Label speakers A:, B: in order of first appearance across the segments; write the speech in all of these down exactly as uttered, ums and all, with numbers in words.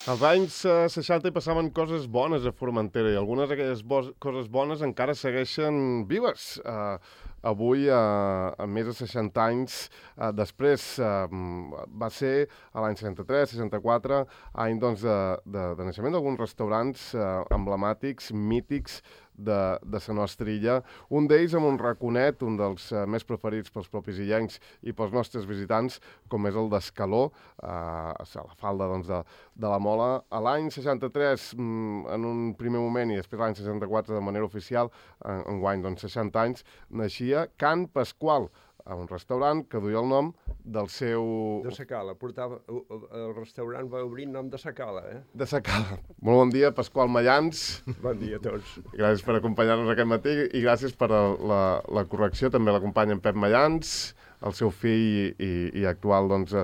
A: Als anys eh, seixanta hi passaven coses bones a Formentera i algunes d'aquelles bo coses bones encara segueixen vives. Eh, avui, eh, a més de seixanta anys eh, després, eh, va ser a l'any seixanta-tres seixanta-quatre, any doncs, de, de, de naixement d'alguns restaurants eh, emblemàtics, mítics, de, de la nostra illa. Un d'ells amb un raconet, un dels uh, més preferits pels propis illencs i pels nostres visitants, com és el d'Escaló, uh, a la falda doncs, de, de la Mola. A l'any seixanta-tres, mm, en un primer moment, i després l'any seixanta-quatre de manera oficial, en, enguany doncs, seixanta anys, naixia Can Pasqual, a un restaurant que duia el nom del seu...
B: De Sacala, portava... El restaurant va obrir en nom de Sacala, eh?
A: De Sacala. Molt bon dia, Pasqual Mallans.
B: Bon dia a tots.
A: Gràcies per acompanyar-nos aquest matí i gràcies per la, la correcció. També l'acompanya en Pep Mallans, el seu fill i, i actual doncs,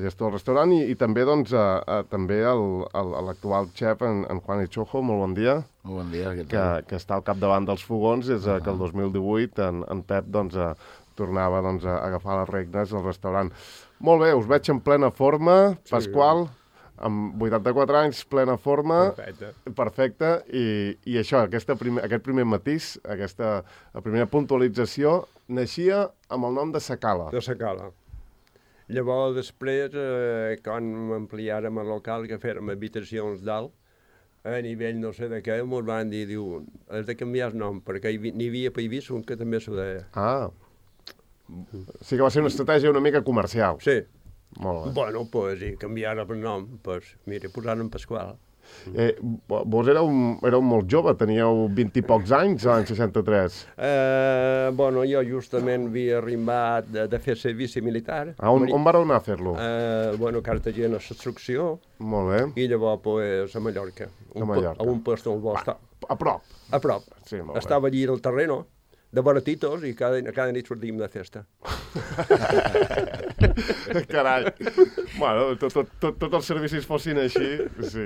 A: gestor del restaurant, i, i també doncs, a, a, també l'actual xef, en, en Juan Echojo. Molt bon dia.
C: Molt bon dia.
A: Que, que està al capdavant dels fogons des uh -huh. que el dos mil divuit en, en Pep doncs, a, tornava doncs, a agafar les regnes del restaurant. Molt bé, us veig en plena forma, sí, Pasqual, amb vuitanta-quatre anys, plena forma.
B: Perfecte.
A: Perfecte, i, i això, aquesta primer, aquest primer matís, aquesta la primera puntualització, naixia amb el nom de Sacala.
B: De Sacala. Llavors, després, eh, quan ampliàrem el local, que fèrem habitacions dalt, a nivell no sé de què, ens van dir, diu, has de canviar el nom, perquè n'hi havia per Eivissa un que també s'ho deia.
A: Ah, sí que va ser una estratègia una mica comercial.
B: Sí.
A: Molt bé.
B: Bueno, pues, i canviar el nom, pues, mira, posar-ne Pasqual.
A: Eh, vos éreu, éreu molt jove, teníeu vint i pocs anys l'any seixanta-tres.
B: Eh, bueno, jo justament havia arribat de, de fer servici militar.
A: Ah, on, on vareu anar a fer-lo?
B: Eh, bueno, Cartagena, Instrucció.
A: Molt bé.
B: I llavors, pues, a Mallorca.
A: A Mallorca.
B: A un lloc on vol estar.
A: A prop.
B: A prop.
A: Sí, molt
B: Estava allí al terreno, de baratitos, i cada, cada nit sortíem de festa.
A: Carai. Bueno, tots tot, tot, tot els servicis fossin així, sí.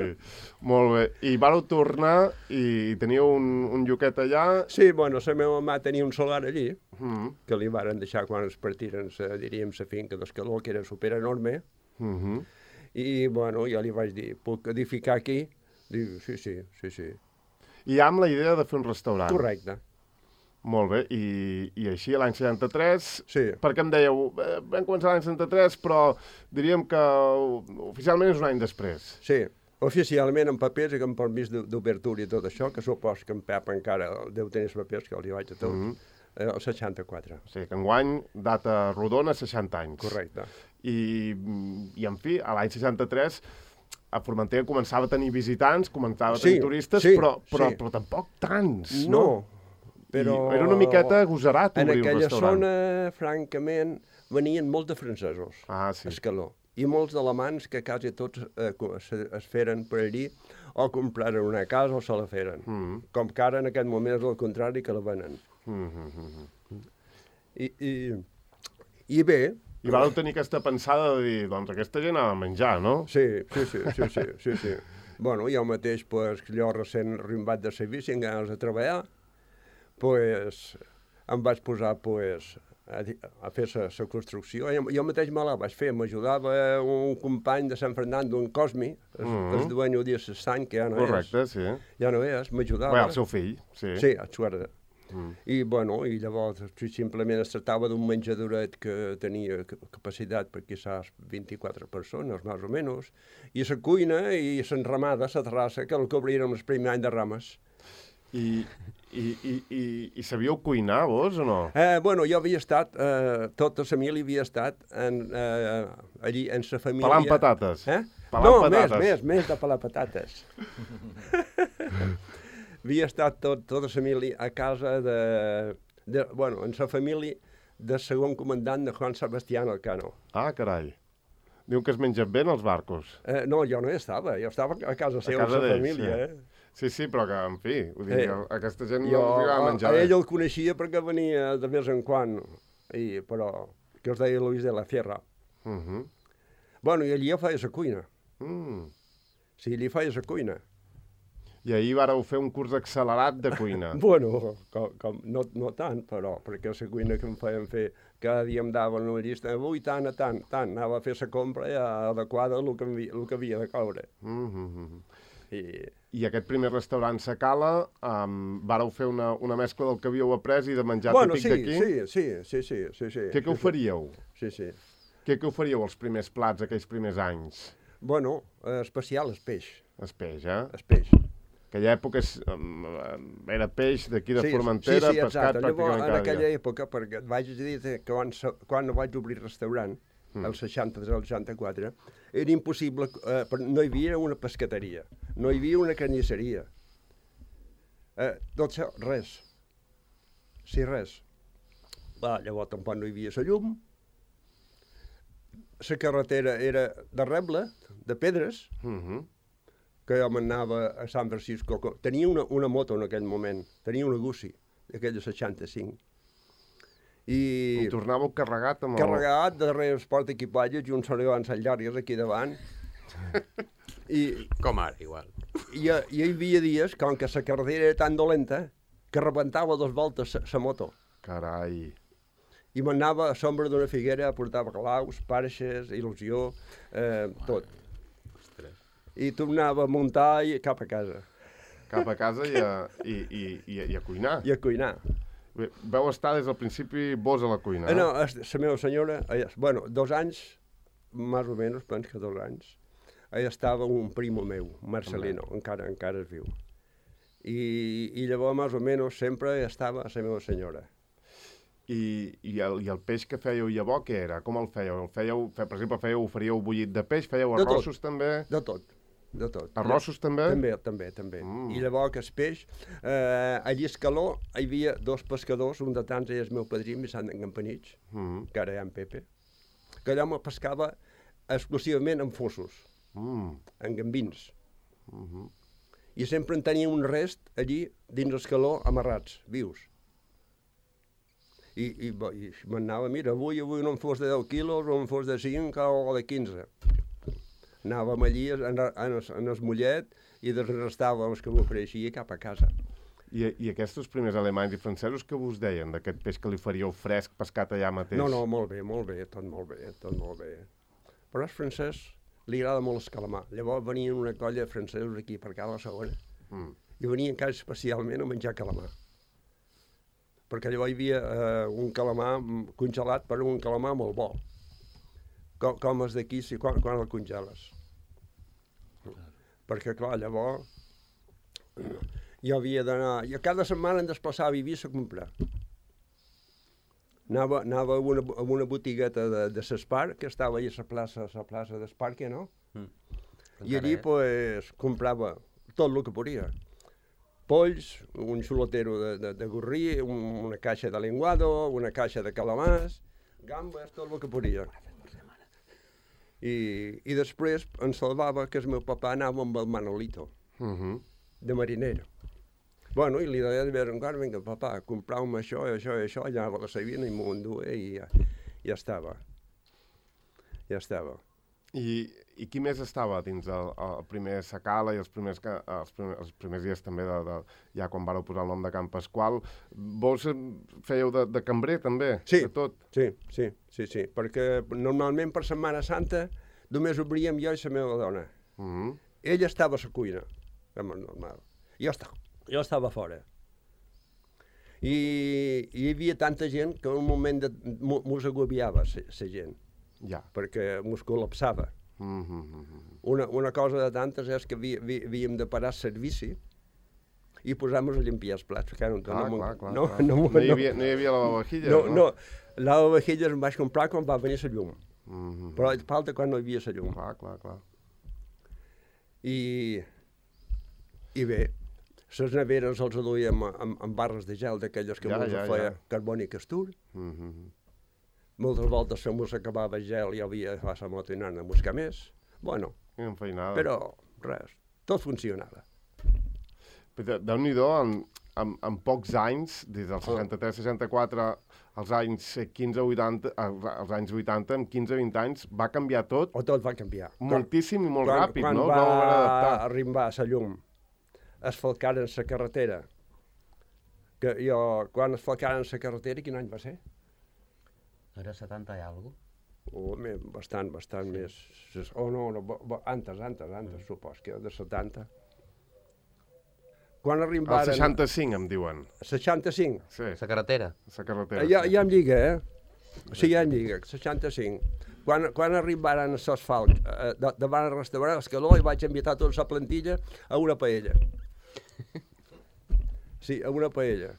A: Molt bé. I vareu tornar i teníeu un, un lloquet allà?
B: Sí, bueno, la meva mamà tenia un solar allí,
A: Mm.
B: que li varen deixar quan es partiren, sa, diríem, la finca d'Escaló, que era super enorme.
A: Mm -hmm.
B: I, bueno, jo li vaig dir, puc edificar aquí? Diu, sí, sí, sí, sí.
A: I amb la idea de fer un restaurant.
B: Correcte.
A: Molt bé, i, i així l'any setanta-tres,
B: Sí.
A: perquè em dèieu, eh, vam començar l'any setanta-tres, però diríem que oficialment és un any després.
B: Sí, oficialment en papers i amb permís d'obertura i tot això, que supos que en Pep encara deu tenir els papers, que els hi vaig a tots, mm -hmm. eh, el seixanta-quatre.
A: O sigui, que enguany, data rodona, seixanta anys.
B: Correcte.
A: I, i en fi, a l'any seixanta-tres, a Formentera començava a tenir visitants, començava a tenir
B: Sí,
A: turistes,
B: sí,
A: però, però,
B: sí.
A: però tampoc tants,
B: No,
A: no?
B: però...
A: I era una miqueta agosarat
B: En
A: obrir un
B: aquella
A: restaurant.
B: zona, francament, venien molts de francesos
A: Ah, sí.
B: a Escaló. I molts d'alemans que quasi tots eh, es, es feren per allí o compraren una casa o se la feren.
A: Mm.
B: Com que ara en aquest moment és el contrari, que la venen.
A: Mm -hmm.
B: I, i, i bé...
A: I vareu tenir aquesta pensada de dir, doncs aquesta gent ha de menjar, no?
B: Sí, sí, sí, sí, sí, sí, sí. Bueno, jo mateix, pues, jo recent arribat de servici, amb ganes de treballar, pues, em vaig posar, pues, a, a fer la construcció. Jo, jo mateix me la vaig fer, m'ajudava un company de Sant Fernando, en Cosmi, el, mm -hmm. el dueño de l'estany, que ja no
A: Correcte,
B: és.
A: sí.
B: Ja no és, m'ajudava.
A: Bé, el seu fill, sí.
B: Sí, el suerte.
A: Mm.
B: I, bueno, i llavors simplement es tractava d'un menjadoret que tenia capacitat per quizás vint-i-quatre persones, més o menys, i la cuina i l'enramada, la terrassa, que el cobriren el primer any de rames.
A: I, i, i, i, i sabíeu cuinar, vos, o no?
B: Eh, bueno, jo havia estat, eh, tota la família havia estat en, eh, allí, en la família...
A: Pelant patates.
B: Eh?
A: Pelant
B: no,
A: patates.
B: més, més, més de pelar patates. Havia estat tot, tota la família a casa de, de... Bueno, en la família del segon comandant de Juan Sebastián Elcano.
A: Ah, carai. Diu que es mengen bé en els barcos.
B: Eh, no, jo no hi estava, jo estava a casa seva,
A: casa
B: amb la
A: d'ells,
B: família,
A: sí.
B: eh?
A: Sí, sí, però que, en fi, ho dic,
B: Eh,
A: a aquesta gent
B: Jo,
A: no els agrada
B: a,
A: menjar
B: a
A: bé.
B: ell el coneixia perquè venia de vez en quan, i, però que es deia Luis de la Sierra.
A: Uh -huh.
B: Bueno, i allí jo feia la cuina.
A: mm.
B: Sí, allí feia la cuina.
A: I ahir vareu fer un curs accelerat de cuina.
B: Bueno, com, com, no, no tant, però, perquè la cuina que em feien fer cada dia em daven una llista, avui tant a tant, tant, anava a fer la compra ja adequada al que, el que havia de coure.
A: Mm-hmm.
B: I...
A: I aquest primer restaurant Sacala, um, vàreu fer una, una mescla del que havíeu après i de menjar
B: bueno,
A: típic
B: sí,
A: d'aquí?
B: sí, sí, sí, sí, sí, sí.
A: Què que oferíeu?
B: Sí, sí.
A: Què que oferíeu els primers plats aquells primers anys?
B: Bueno, eh, especial és peix.
A: És peix, eh?
B: És peix.
A: Aquella època és, um, era peix d'aquí de
B: sí,
A: Formentera,
B: sí, sí,
A: pescat
B: exacte.
A: pràcticament
B: Llavors,
A: cada
B: en aquella
A: dia.
B: època, perquè et vaig dir que quan, quan vaig obrir restaurant, mm. el seixanta-tres al seixanta-quatre, era impossible, eh, no hi havia una pescateria, no hi havia una carnisseria. Eh, tot això, res. Sí, res. Va, llavors tampoc no hi havia la llum, la carretera era de reble, de pedres,
A: Mm-hmm.
B: que jo m'anava a San Francisco. Tenia una, una moto en aquell moment, tenia una Gussi, d'aquella seixanta-cinc. I...
A: I tornàveu carregat amb el...
B: Carregat, darrere els portaequipatges i uns sorolans llargues aquí davant. I,
C: Com ara, igual.
B: i, I hi havia dies, com que la carretera era tan dolenta, que rebentava dos voltes la moto.
A: Carai.
B: I m'anava a sombra d'una figuera, portava claus, parxes, il·lusió, eh, tot. I tornava a muntar i cap a casa.
A: Cap a casa i a, i, i, i, a, i a cuinar.
B: I a cuinar.
A: Bé, vau estar des del principi vos a la cuina,
B: Eh, no, la meva senyora, ella, bueno, dos anys, més o menys, penso que dos anys, allà estava un primo meu, Marcelino, encara, encara es viu. I, i llavors, més o menys, sempre estava la meva senyora.
A: I, i, el, I el peix que fèieu llavors, què era? Com el fèieu? El fèieu, fe, per exemple, fèieu, faríeu bullit de peix? Fèieu
B: De tot.
A: arrossos també?
B: De tot, de tot.
A: Arrossos també?
B: També, també, també.
A: Mm.
B: I llavors que el peix, eh, a Lliscaló hi havia dos pescadors, un de tants és el meu padrí, Vicent Campanich,
A: Mm.
B: que ara hi ha en Pepe, que allò me pescava exclusivament amb fossos,
A: Mm.
B: en gambins.
A: Mm-hmm.
B: I sempre en tenia un rest allí dins el caló amarrats, vius. I, i, i m'anava, mira, avui, avui no em fos de deu quilos, o em fos de cinc o de quinze. Anàvem allí en, en, en, en el mollet i desrestàvem els que m'ofereixia cap a casa.
A: I, I aquests primers alemanys i francesos que vos deien d'aquest peix que li faríeu fresc pescat allà mateix?
B: No, no, molt bé, molt bé, tot molt bé, tot molt bé. Però al francès li agrada molt el calamar. Llavors venien una colla de francesos aquí per cada segona
A: Mm.
B: i venien quasi especialment a menjar calamar. Perquè llavors hi havia eh, un calamar congelat, però un calamar molt bo. Com, com els d'aquí, si, quan, quan el congeles. Perquè, clar, llavors jo havia d'anar... Jo cada setmana em desplaçava a Eivissa a comprar. Anava, anava a, una, a una botigueta de, de l'Espar, que estava allà a la plaça, a la plaça d'Esparque, no?
C: Mm.
B: I allí, pues, comprava tot el que podia. Polls, un xulotero de, de, de gorrí, un, una caixa de lenguado, una caixa de calamars, gambes, tot el que podia. I, i després em salvava que el meu papà anava amb el Manolito,
A: Mm-hmm.
B: de mariner. Bueno, i li deia de vegades en quan, vinga, papà, comprau-me això, i això, i això, i anava a la Sabina i m'ho enduia i ja, ja estava. Ja estava.
A: I, I qui més estava dins el, el primer Sacala i els primers, ca- els primers, els primers dies també, de, de, ja quan vareu posar el nom de Can Pasqual? Vos eh, fèieu de, de cambrer també?
B: Sí.
A: De tot?
B: Sí, sí, sí, sí, perquè normalment per Setmana Santa només obríem jo i la meva dona.
A: Mm-hmm.
B: Ella estava a la cuina, com és normal. Jo estava, jo estava fora. I, i hi havia tanta gent que en un moment de, mos agobiava la gent,
A: Ja.
B: perquè mos col·lapsava.
A: Mm-hmm.
B: Una, una cosa de tantes és que haví, haví, havíem de parar servici i posar-nos a limpiar els plats. Perquè no,
A: Clar,
B: no,
A: clar, clar.
B: no,
A: clar.
B: no, no,
A: no, hi havia, no hi havia lavavajilles,
B: no,
A: no?
B: no, lavavajilles em vaig comprar quan va venir la llum.
A: Mm-hmm.
B: Però falta quan no hi havia la llum.
A: Clar, clar, clar.
B: I, i bé, les neveres els duíem amb, amb barres de gel d'aquelles que
A: Ja,
B: ja,
A: ja,
B: feia
A: ja.
B: carboni i castur.
A: Mm-hmm.
B: Moltes voltes se mos acabava el gel i havia de fer la moto i anar a buscar més. Bueno,
A: Quina feinada.
B: però res, tot funcionava.
A: Però Déu-n'hi-do, en, en, en pocs anys, des del seixanta-tres seixanta-quatre als anys quinze vuitanta, als, als anys vuitanta, en quinze vint anys, va canviar tot
B: O tot va canviar.
A: moltíssim i molt
B: quan,
A: ràpid,
B: quan
A: no?
B: va
A: Us vau haver d'adaptar.
B: arribar la llum, asfalcaren la carretera, que jo, quan asfalcaren la carretera, quin any va ser?
C: Era setanta i alguna cosa?
B: O més, bastant, bastant sí. més. Oh, no, no, antes, antes, antes, mm. supos que era de setanta. Quan arribaren...
A: El seixanta-cinc, em diuen.
B: seixanta-cinc?
C: Sí. La carretera?
A: La carretera,
B: ja,
A: sí.
B: Ja em lliga, eh? Sí, ja em lliga, seixanta-cinc. Quan, quan arribaren els asfalts eh, de, davant el restaurant Escaló, i vaig invitar tota la plantilla a una paella. Sí, a una paella.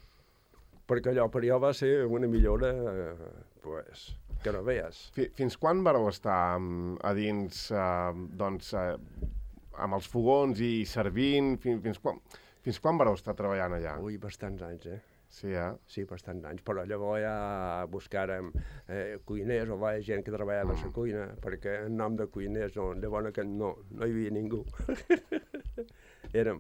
B: Perquè allò per jo va ser una millora, eh, pues, que no veies.
A: Fins quan vareu estar a dins, eh, doncs, eh, amb els fogons i servint? Fins, fins, quan, fins quan vareu estar treballant allà?
B: Ui, bastants anys, eh?
A: Sí, eh?
B: Sí, bastants anys, però llavors ja buscàrem eh, cuiners o va, gent que treballava a la cuina, perquè en nom de cuiners no, de bona que no, no hi havia ningú. érem,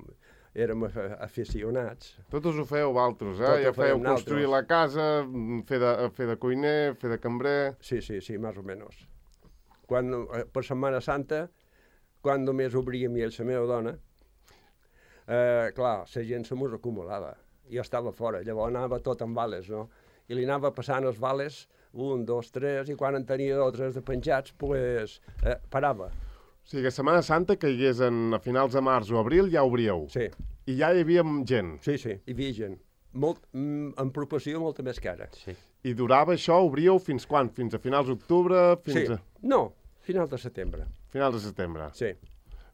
B: érem aficionats.
A: Tots us ho fèieu vosaltres, eh?
B: Tot
A: Ja
B: ho fèiem
A: fèieu construir
B: nosaltres.
A: la casa, fer de, fer de cuiner, fer de cambrer...
B: Sí, sí, sí, més o menys. Quan, eh, per Setmana Santa, quan només obríem i ell, la meva dona, eh, clar, la gent se mos acumulava. Jo estava fora, llavors anava tot en vales, no? I li anava passant els vales, un, dos, tres, i quan en tenia dos o tres de penjats, pues, eh, parava.
A: O sigui, que Setmana Santa caigués en, a finals de març o abril, ja obríeu.
B: Sí.
A: I ja hi havia gent.
B: Sí, sí, hi havia gent. Molt, mm, en proporció molta més cara.
C: Sí.
A: I durava això, obríeu fins quan? Fins a finals d'octubre? Fins
B: Sí,
A: a...
B: no, final de setembre.
A: Finals de setembre.
B: Sí.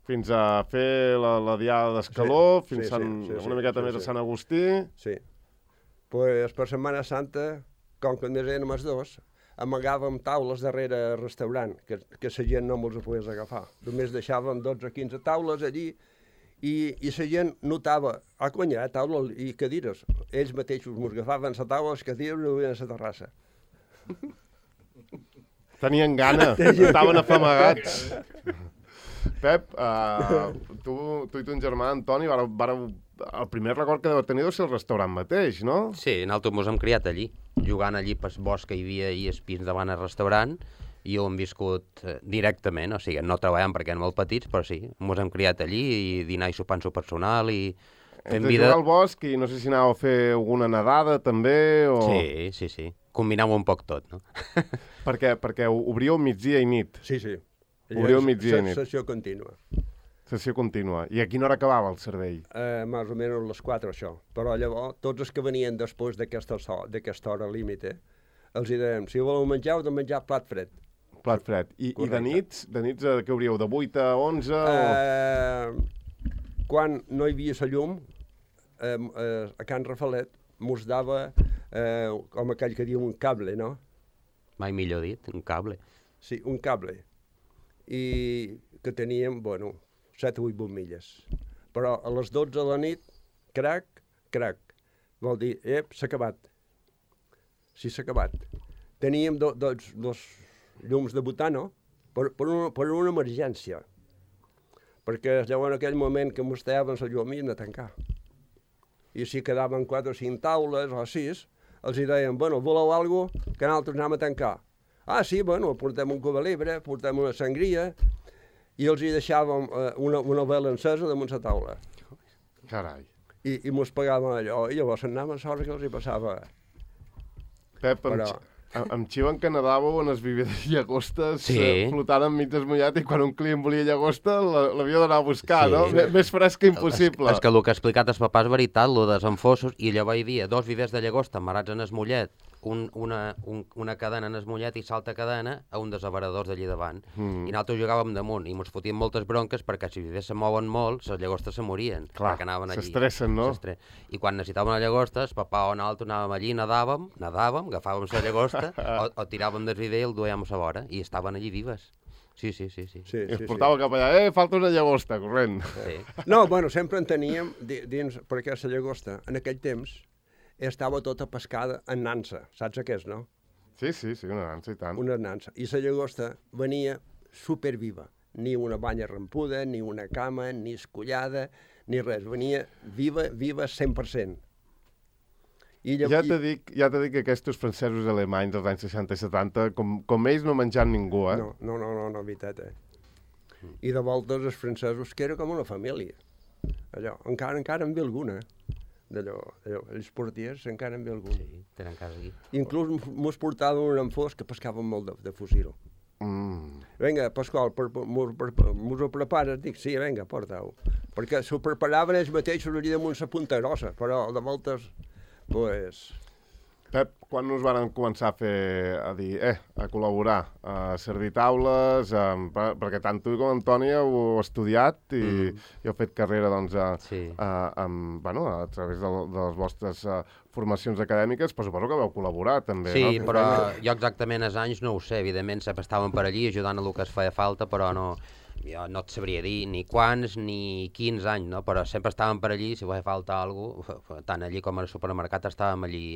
A: Fins a fer la, la diada d'Escaló,
B: Sí,
A: fins
B: sí,
A: Sant,
B: sí, sí,
A: una miqueta
B: sí,
A: més
B: sí.
A: a Sant Agustí.
B: Sí. Pues per Setmana Santa, com que només érem els dos, amagàvem taules darrere el restaurant, que, que la gent no ens ho pogués agafar. Només deixàvem dotze o quinze taules allí i, i la gent notava, ah, conya, eh, taules i cadires. Ells mateixos ens agafaven la taula, les cadires i ho a la terrassa.
A: Tenien gana, estaven afamagats. Pep, uh, tu, tu i ton germà, Antoni, vareu, vareu, el primer record que deveu tenir deu ser el restaurant mateix, no?
C: Sí, nosaltres mos hem criat allí, jugant allí pel bosc que hi havia i els pins davant el restaurant, i ho hem viscut eh, directament, o sigui, no treballant perquè érem molt petits, però sí, mos hem criat allí i dinar i sopar en su personal i fent
A: Entre
C: vida...
A: jugar al bosc i no sé si anàveu a fer alguna nedada també, o...
C: Sí, sí, sí, combinàvem un poc tot, no?
A: perquè, perquè obríeu migdia i nit,
B: Sí, sí.
A: Obríeu migdia i nit.
B: Sessió contínua.
A: sessió contínua. I a quina hora acabava el servei?
B: Eh, més o menys les quatre, això. Però llavors, tots els que venien després d'aquesta d'aquesta hora límite, els hi dèiem, si voleu menjar, heu de menjar plat fred.
A: Plat fred. I, i de nits? De nits a què obríeu? De vuit a onze? O...
B: Eh, quan no hi havia la llum, eh, eh, a Can Rafalet, mos dava, eh, com aquell que diu, un cable, no?
C: Mai millor dit, un cable.
B: Sí, un cable. I que teníem, bueno, set o vuit bombilles. Però a les dotze de la nit, crac, crac. Vol dir, ep, s'ha acabat. Sí, s'ha acabat. Teníem do, dos, dos llums de butano per, per, una, per una emergència. Perquè llavors en aquell moment que mostraven la llum havien de tancar. I si quedaven quatre o cinc taules o sis, els hi deien, bueno, voleu alguna cosa que nosaltres anem a tancar? Ah, sí, bueno, portem un cuba libre, portem una sangria, i els hi deixàvem eh, una, una vela encesa damunt la taula.
A: Carai.
B: I, i mos pagaven allò, i llavors anaven a l'hora que els hi passava.
A: Pep, em,
B: Però-
A: Em, em xiven que nedàveu en les vivides llagostes,
C: Sí.
A: eh, flotant enmig desmullat, i quan un client volia llagosta la- l'havia d'anar a buscar,
C: Sí.
A: no? M Més fresc que impossible.
C: És que el que ha explicat el papà és veritat, lo dels enfossos, i llavors hi havia dos vivers de llagosta amarrats en el mollet, un, una, un, una cadena en el mollet i l'altra cadena a un dels avaradors d'allí davant.
A: Mm.
C: I nosaltres jugàvem damunt i ens fotíem moltes bronques perquè si els vivers se mouen molt, les llagostes se morien.
A: Clar,
C: perquè anaven allí.
A: s'estressen, no?
C: S'estre- I quan necessitàvem una llagosta, el papà o nosaltres anàvem allí, nedàvem, nedàvem, agafàvem la llagosta, o, o tiràvem del viver i el duèiem a la vora, i estaven allí vives. Sí, sí, sí, sí.
B: Sí,
A: I es
B: sí,
A: portava cap allà, eh, falta una llagosta, corrent.
C: sí.
B: sí. No, bueno, sempre en teníem di- dins, perquè la llagosta, en aquell temps, estava tota pescada en nansa. Saps què és, no?
A: Sí, sí, sí, una dansa i tant.
B: Una nansa. I la llagosta venia superviva. Ni una banya rampuda, ni una cama, ni escollada, ni res. Venia viva, viva cent per cent. I llav-
A: Ja te dic, ja te dic que aquests francesos i alemanys dels anys seixanta i setanta, com, com ells no menjant ningú, eh?
B: No, no, no, no, no, veritat, eh? I de voltes els francesos, que era com una família. Allò, encara, encara en ve alguna. d'allò, d'allò. Els portiers encara en ve algun.
C: Sí, tenen casa aquí.
B: Inclús mos portaven un enfós que pescaven molt de, de fusil.
A: Mm.
B: Vinga, Pasqual, per, per, mos, per, mos ho prepares? Dic, sí, vinga, porta-ho. Perquè s'ho preparaven ells mateixos allà damunt la punta grossa, però de voltes, pues...
A: Pep, quan us varen començar a fer, a dir, eh, a col·laborar, a servir taules, a, perquè tant tu com Antoni heu estudiat i, mm. i heu fet carrera, doncs, a,
C: Sí.
A: a, amb, bueno, a través de, de les vostres a, formacions acadèmiques, però suposo que vau col·laborar, també,
C: Sí,
A: no?
C: però jo exactament els anys no ho sé, evidentment sempre estàvem per allí ajudant a el que es feia falta, però no, jo no et sabria dir ni quants ni quins anys, no? Però sempre estàvem per allí, si feia falta alguna cosa, tant allí com al supermercat estàvem allí,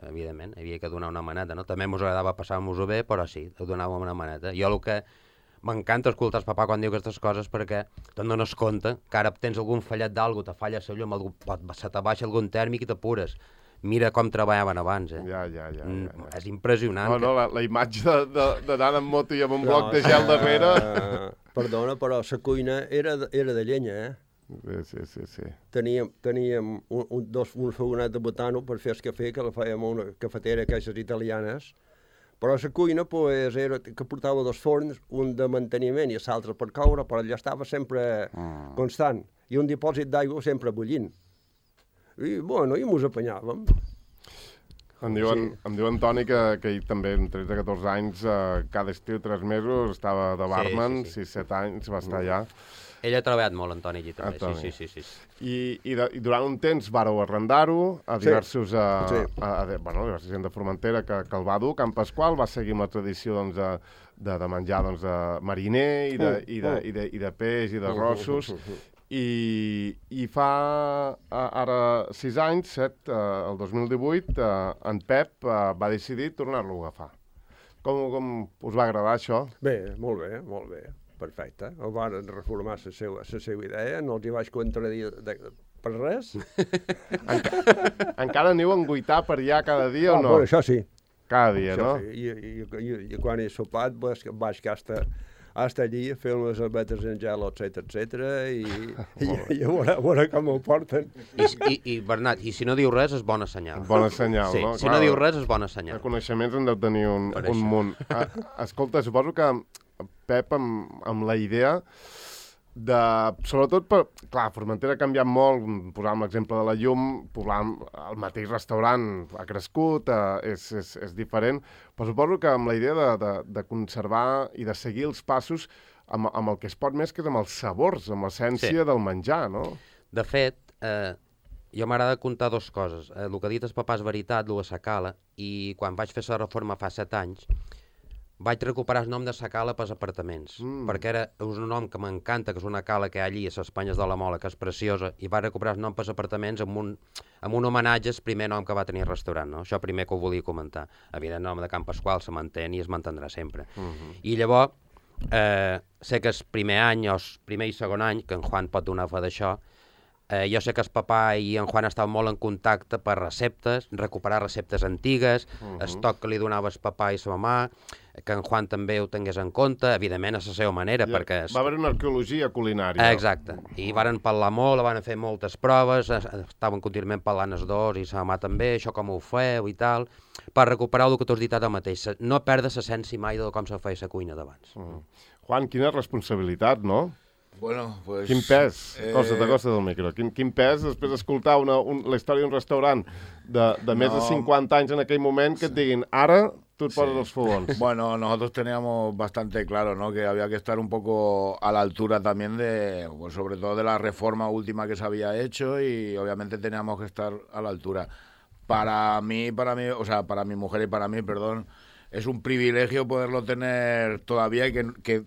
C: evidentment, havia que donar una maneta, no? També mos agradava passar-nos-ho bé, però sí, donàvem una maneta. Jo el que m'encanta escoltar el papà quan diu aquestes coses perquè te'n dones compte que ara tens algun fallet d'algú, te falla la llum, algú, se te baixa algun tèrmic i t'apures. Mira com treballaven abans, eh?
A: Ja, ja, ja. ja, ja.
C: És impressionant.
A: No, no, la, la imatge d'anar en moto i amb un bloc
B: No,
A: de gel darrere...
B: Uh, perdona, però la cuina era, de- era de llenya, eh?
A: Sí, sí, sí, sí.
B: Teníem, teníem un, un, dos, un fogonet de butano per fer el cafè, que la fèiem a una cafetera, aquestes italianes, però la cuina pues, era que portava dos forns, un de manteniment i l'altre per coure, però allà estava sempre
A: Mm.
B: constant, i un dipòsit d'aigua sempre bullint. I, bueno, i mos apanyàvem.
A: Em diuen,
B: Sí.
A: em diu Antoni que, que ell també, amb tretze a catorze anys, eh, cada estiu, tres mesos, estava de barman,
C: sí, sí.
A: sis set anys, va estar allà.
C: Ell ha treballat molt, Antoni, allí també.
A: Antoni.
C: Sí, sí, sí, sí.
A: I, i, de, I durant un temps vàreu arrendar-ho a
B: Sí.
A: diversos... A,
B: Sí.
A: a, a, a, bueno, diversa gent de Formentera que, que el va dur. Can Pasqual va seguir amb la tradició doncs, de, de, de menjar doncs, de mariner i de,
B: Mm,
A: i, de,
B: mm.
A: i, de, i de peix i de
B: Mm,
A: rossos.
B: mm, mm, mm.
A: I, i fa a, ara sis anys, set, eh, el dos mil divuit, eh, en Pep eh, va decidir tornar-lo a agafar. Com, com us va agradar això?
B: Bé, molt bé, molt bé, perfecte. El van reformar la seva, la seva idea, no els hi vaig contradir de, de, per res.
A: Enca encara aneu a enguitar per allà cada dia
B: Ah,
A: o no?
B: bueno, això sí.
A: Cada dia,
B: Això
A: no?
B: sí. I, i, i, i quan he sopat pues, vaig hasta, hasta allí a fer unes albetes en gel, etcètera, etcètera, i, i, i a, veure, a veure com ho porten.
C: I, i, I, Bernat, i si no diu res és bona senyal.
A: Bona senyal,
C: sí,
A: no?
C: si
A: Clar,
C: no diu res és bona
A: de
C: senyal.
A: coneixements en deu tenir un,
C: Per
A: un
C: això.
A: munt. Ah, escolta, suposo que Pep, amb, amb la idea de... Sobretot, per, clar, Formentera ha canviat molt, posàvem l'exemple de la llum, posàvem el mateix restaurant, ha crescut, eh, és, és, és diferent, però suposo que amb la idea de, de, de conservar i de seguir els passos amb, amb el que es pot més, que és amb els sabors, amb l'essència
C: Sí.
A: del menjar, no?
C: De fet, eh, jo m'agrada contar dues coses. Eh, el que ha dit el papà és veritat, el de la cala, i quan vaig fer la reforma fa set anys, vaig recuperar el nom de sa cala pels apartaments,
A: Mm.
C: mm. perquè era és un nom que m'encanta, que és una cala que hi ha allí a les Espanyes de la Mola, que és preciosa, i vaig recuperar el nom pels apartaments amb un, amb un homenatge al primer nom que va tenir el restaurant, no? Això primer que ho volia comentar. Evident, el nom de Can Pasqual se mantén i es mantindrà sempre.
A: Uh -huh.
C: I llavors, eh, sé que el primer any, o el primer i segon any, que en Juan pot donar fe d'això, eh, jo sé que el papà i en Juan estaven molt en contacte per receptes, recuperar receptes antigues,
A: Mhm.
C: el toc que li donava el papà i la mamà, que en Juan també ho tingués en compte, evidentment a la seva manera,
A: Ja,
C: perquè...
A: va haver una arqueologia culinària.
C: Eh, Exacte, i varen parlar molt, van fer moltes proves, es- estaven contínuament parlant els dos i la mamà també, això com ho feu i tal, per recuperar el que tu has dit ara mateix, no perdre l'essència mai de com se feia la cuina d'abans.
A: Mm. Juan, quina responsabilitat, no?
D: Bueno, pues...
A: Quin pes,
D: eh,
A: cosa de costa del micro, quin, quin pes després d'escoltar una, un, la història d'un restaurant de, de més
D: No.
A: de cinquanta anys en aquell moment que et diguin, ara tu et poses
D: Sí.
A: els fogons.
D: Bueno, nosotros teníamos bastante claro, ¿no? Que había que estar un poco a la altura también de, pues sobre todo de la reforma última que se había hecho y obviamente teníamos que estar a la altura. Para mí, para mí, o sea, para mi mujer y para mí, perdón, es un privilegio poderlo tener todavía y que, que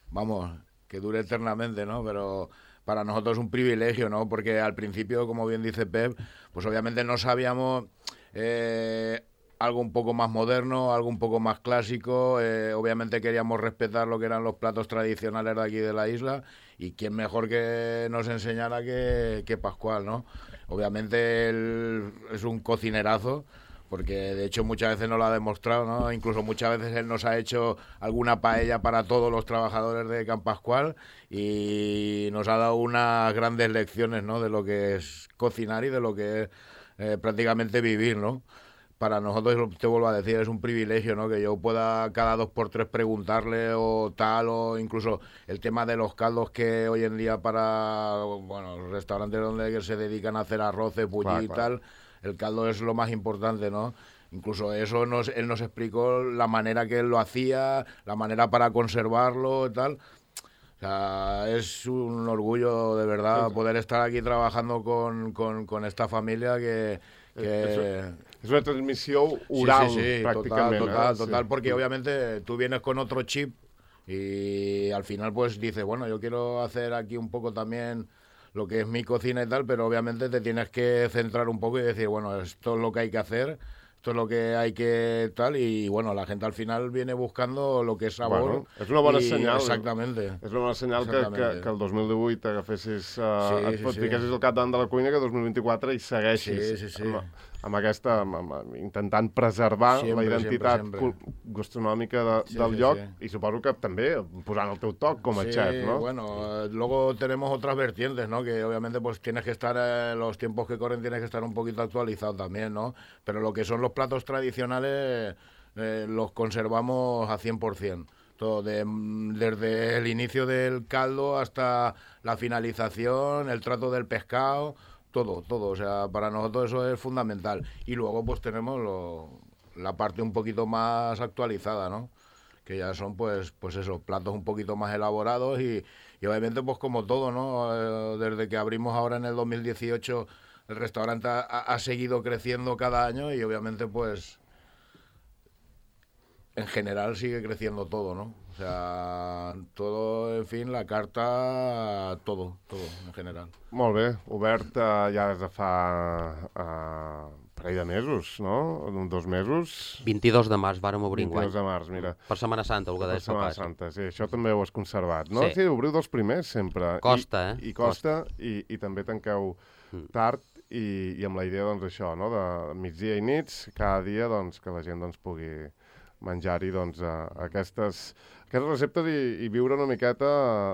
D: vamos, que dure eternamente, ¿no? Pero para nosotros es un privilegio, ¿no? Porque al principio, como bien dice Pep, pues obviamente no sabíamos eh, algo un poco más moderno, algo un poco más clásico. Eh, obviamente queríamos respetar lo que eran los platos tradicionales de aquí de la isla y quién mejor que nos enseñara que, que Pascual, ¿no? Obviamente él es un cocinerazo, porque de hecho muchas veces nos lo ha demostrado, ¿no? Incluso muchas veces él nos ha hecho alguna paella para todos los trabajadores de Can Pascual y nos ha dado unas grandes lecciones, ¿no? De lo que es cocinar y de lo que es eh, prácticamente vivir, ¿no? Para nosotros, te vuelvo a decir, es un privilegio, ¿no? Que yo pueda cada dos por tres preguntarle o tal, o incluso el tema de los caldos que hoy en día para, bueno, los restaurantes donde se dedican a hacer arroces, bulli
A: Clar,
D: y
A: clar.
D: tal, el caldo es lo más importante, ¿no? Incluso eso nos, él nos explicó la manera que él lo hacía, la manera para conservarlo y tal. O sea, es un orgullo de verdad poder estar aquí trabajando con, con, con esta familia que... que
A: És una transmissió oral,
D: sí, sí, sí,
A: pràcticament.
D: Total, total,
A: eh?
D: total,
A: Sí.
D: porque obviamente tú vienes con otro chip y al final pues dices, bueno, yo quiero hacer aquí un poco también lo que es mi cocina y tal, pero obviamente te tienes que centrar un poco y decir, bueno, esto es lo que hay que hacer, esto es lo que hay que tal, y bueno, la gente al final viene buscando lo que es sabor.
A: Bueno, és una bona
D: y-
A: senyal.
D: Exactamente.
A: És una bona senyal que, que,
D: Exactament.
A: que el dos mil divuit agafessis, uh,
D: Sí,
A: et
D: sí,
A: pot
D: sí.
A: fiquessis al capdavant de la cuina, que el dos mil vint-i-quatre hi segueixis
D: Sí, sí, sí.
A: Amb, amb aquesta, amb, amb, intentant preservar
D: Sempre,
A: la identitat
D: sempre,
A: cul- gastronòmica de,
D: Sí,
A: del
D: sí,
A: lloc
D: sí.
A: i suposo que també posant el teu toc com a
D: Sí,
A: chef, ¿no?
D: bueno, eh, luego tenemos otras vertientes, ¿no? Que obviamente pues tienes que estar, eh, los tiempos que corren tienes que estar un poquito actualizado también, ¿no? Pero lo que son los platos tradicionales eh, los conservamos a cien por ciento. Todo, de- desde el inicio del caldo hasta la finalización, el trato del pescado, todo, todo. O sea, para nosotros eso es fundamental. Y luego pues tenemos lo- la parte un poquito más actualizada, ¿no? Que ya son pues pues esos platos un poquito más elaborados y, y obviamente pues como todo, ¿no? Eh, desde que abrimos ahora en el dos mil dieciocho el restaurante ha, ha seguido creciendo cada año y obviamente pues en general sigue creciendo todo, ¿no? O sea, todo, en fin, la carta, todo, todo en general.
A: Molt bé, obert uh, ja des de fa uh, parell de mesos, no? Dos mesos?
C: vint-i-dos de març vàrem obrir enguany.
A: vint-i-dos de març, mira.
C: Per Setmana Santa, el que
A: Per
C: deies
A: Setmana
C: papà.
A: Santa, sí, això també ho has conservat, no?
C: Sí.
A: Sí, obriu dels primers sempre.
C: Costa,
A: I,
C: eh?
A: I costa, i, i també tanqueu
C: Mm.
A: tard i, i amb la idea, doncs, això, no?, de migdia i nits, cada dia, doncs, que la gent, doncs, pugui menjar-hi, doncs, uh, aquestes, aquestes receptes i, i viure una miqueta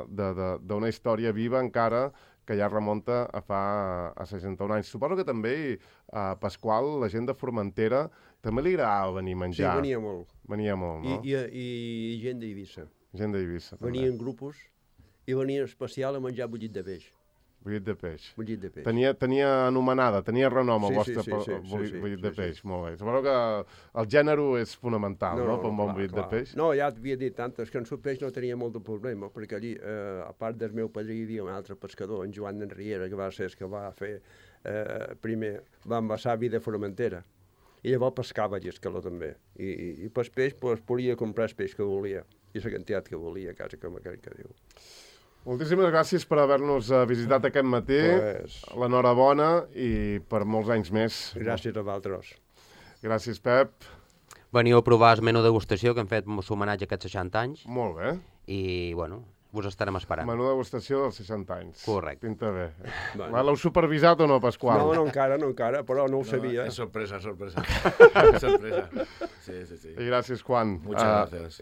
A: d'una història viva encara que ja remunta a fa a seixanta-un anys. Suposo que també a Pasqual, la gent de Formentera, també li agradava venir a
B: Sí,
A: menjar.
B: venia molt.
A: Venia molt,
B: I,
A: no?
B: i, i gent d'Eivissa.
A: Gent d'Eivissa, també.
B: Venien grupos i venien especial a menjar bullit de peix.
A: Bullit de peix.
B: Bullit de peix.
A: Tenia, tenia anomenada, tenia renom el
B: Sí,
A: vostre
B: sí, sí,
A: po-
B: sí, sí,
A: bullit,
B: sí,
A: bullit
B: sí,
A: de
B: sí.
A: peix, molt bé. Suposo que el gènere és fonamental, no, per un bon
B: clar,
A: bullit
B: clar.
A: de peix?
B: No, ja t'havia dit antes que en el peix no tenia molt de problema, perquè allí, eh, a part del meu padrí, hi havia un altre pescador, en Joan d'Enriera, que va ser el que va fer, eh, primer, va envasar vi de Formentera. I llavors pescava allí escaló també. I, i, i pel peix, pues, podia comprar el peix que volia, i la quantitat que volia, quasi com aquell que diu.
A: Moltíssimes gràcies per haver-nos eh, visitat aquest matí.
B: Pues,
A: L'enhorabona i per molts anys més.
B: gràcies a vosaltres.
A: Gràcies, Pep.
C: Veniu a provar el menú degustació que hem fet homenatge a aquests seixanta anys
A: Molt bé.
C: i, bueno, us estarem esperant.
A: Menú degustació dels seixanta anys.
C: Correcte.
A: Pinta bé.
B: Bueno.
A: L'heu supervisat o no, Pasqual?
B: No, no encara, no encara, però no ho sabia.
D: Es sorpresa, sorpresa. sorpresa. Sí, sí, sí.
A: I gràcies, Juan.
D: Muchas
A: Eh,
D: gracias.